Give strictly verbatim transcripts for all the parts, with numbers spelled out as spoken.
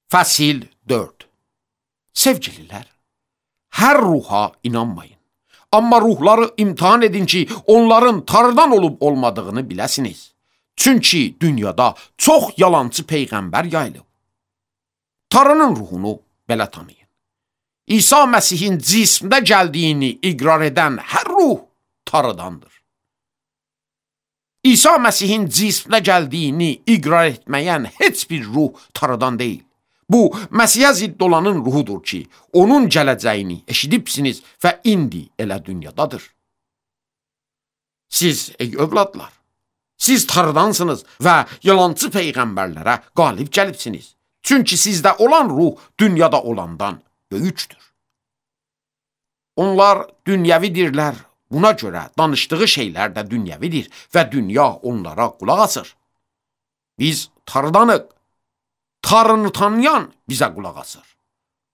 Fəsil dörd. Sevgililər, hər ruha inanmayın. Amma ruhları imtihan edin ki, onların Tanrıdan olub olmadığını biləsiniz. Çünki dünyada çox yalancı peyğəmbər yayılıb. Tanrının ruhunu belə tanıyın. İsa Məsihin cismdə gəldiyini iqrar edən hər ruh Tanrıdandır. İsa Məsihin cismdə gəldiyini iqrar etməyən heç bir ruh Tanrıdan deyil. Bu, Məsihə zidd olanın ruhudur ki, onun gələcəyini eşidibsiniz və indi elə dünyadadır. Siz, ey övladlar, siz Tanrıdansınız və yalancı peyğəmbərlərə qalib gəlibsiniz. Çünki sizdə olan ruh dünyada olandan böyükdür. Onlar dünyəvidirlər, buna görə danışdığı şeylər də dünyəvidir və dünya onlara qulaq asır. Biz Tanrıdanıq. Tanrını tanıyan bizə qulaq asır.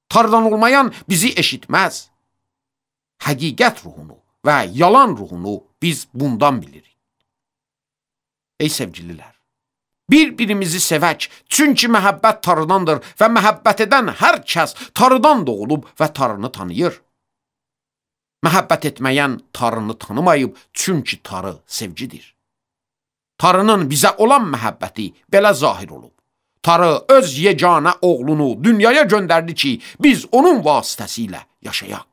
Tanrıdan olmayan bizi eşitməz. Həqiqət ruhunu və yalan ruhunu biz bundan bilirik. Ey sevgililər, bir-birimizi sevək, çünki məhəbbət Tanrıdandır və məhəbbət edən hər kəs Tanrıdan doğulub və Tanrını tanıyır. Məhəbbət etməyən Tanrını tanımayıb, çünki Tanrı sevgidir. Tanrının bizə olan məhəbbəti belə zahir olub. Tanrı öz yeganə oğlunu dünyaya göndərdi ki, biz onun vasitəsilə yaşayaq.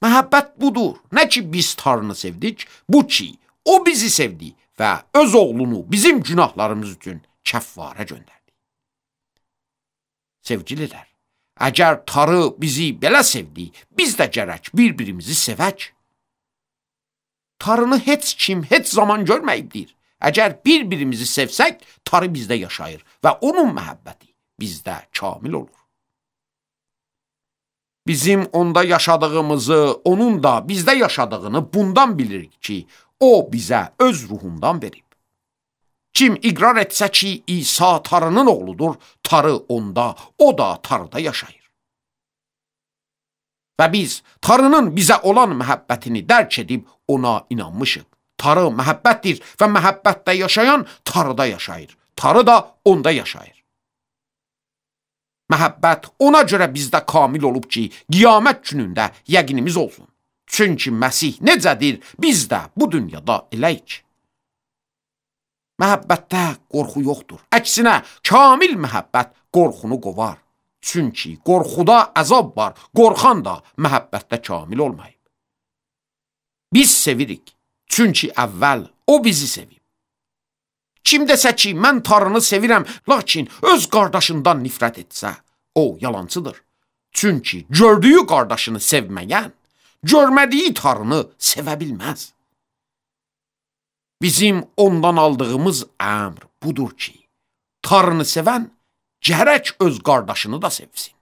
Məhəbbət budur, nə ki biz Tanrını sevdik, bu ki, o bizi sevdi və öz oğlunu bizim günahlarımız üçün kəffarə göndərdi. Sevgililər, əgər Tanrı bizi belə sevdi, biz də gərək bir-birimizi sevək. Tanrını heç kim heç zaman görməyibdir. Əgər bir-birimizi sevsək, Tanrı bizdə yaşayır və onun məhəbbəti bizdə kamil olur. Bizim onda yaşadığımızı, onun da bizdə yaşadığını bundan bilirik ki, o bizə öz ruhundan verib. Kim iqrar etsə ki, İsa Tanrının oğludur, Tanrı onda, o da Tanrıda yaşayır. Və biz Tanrının bizə olan məhəbbətini dərk edib ona inanmışıq. Tanrı məhəbbətdir və məhəbbətdə yaşayan Tanrıda yaşayır. Tanrı da onda yaşayır. Məhəbbət ona görə bizdə kamil olub ki, qiyamət günündə yəqinimiz olsun. Çünki Məsih necədir, biz də bu dünyada eləyik. Məhəbbətdə qorxu yoxdur. Əksinə, kamil məhəbbət qorxunu qovar. Çünki qorxuda əzab var, qorxan da məhəbbətdə kamil olmayıb. Biz sevirik. Çünki əvvəl o bizi sevib. Kim desə ki, mən Tanrını sevirəm, lakin öz qardaşından nifrət etsə, o yalancıdır. Çünki gördüyü qardaşını sevməyən, görmədiyi Tanrını sevə bilməz. Bizim ondan aldığımız əmr budur ki, Tanrını sevən gərək öz qardaşını da sevsin.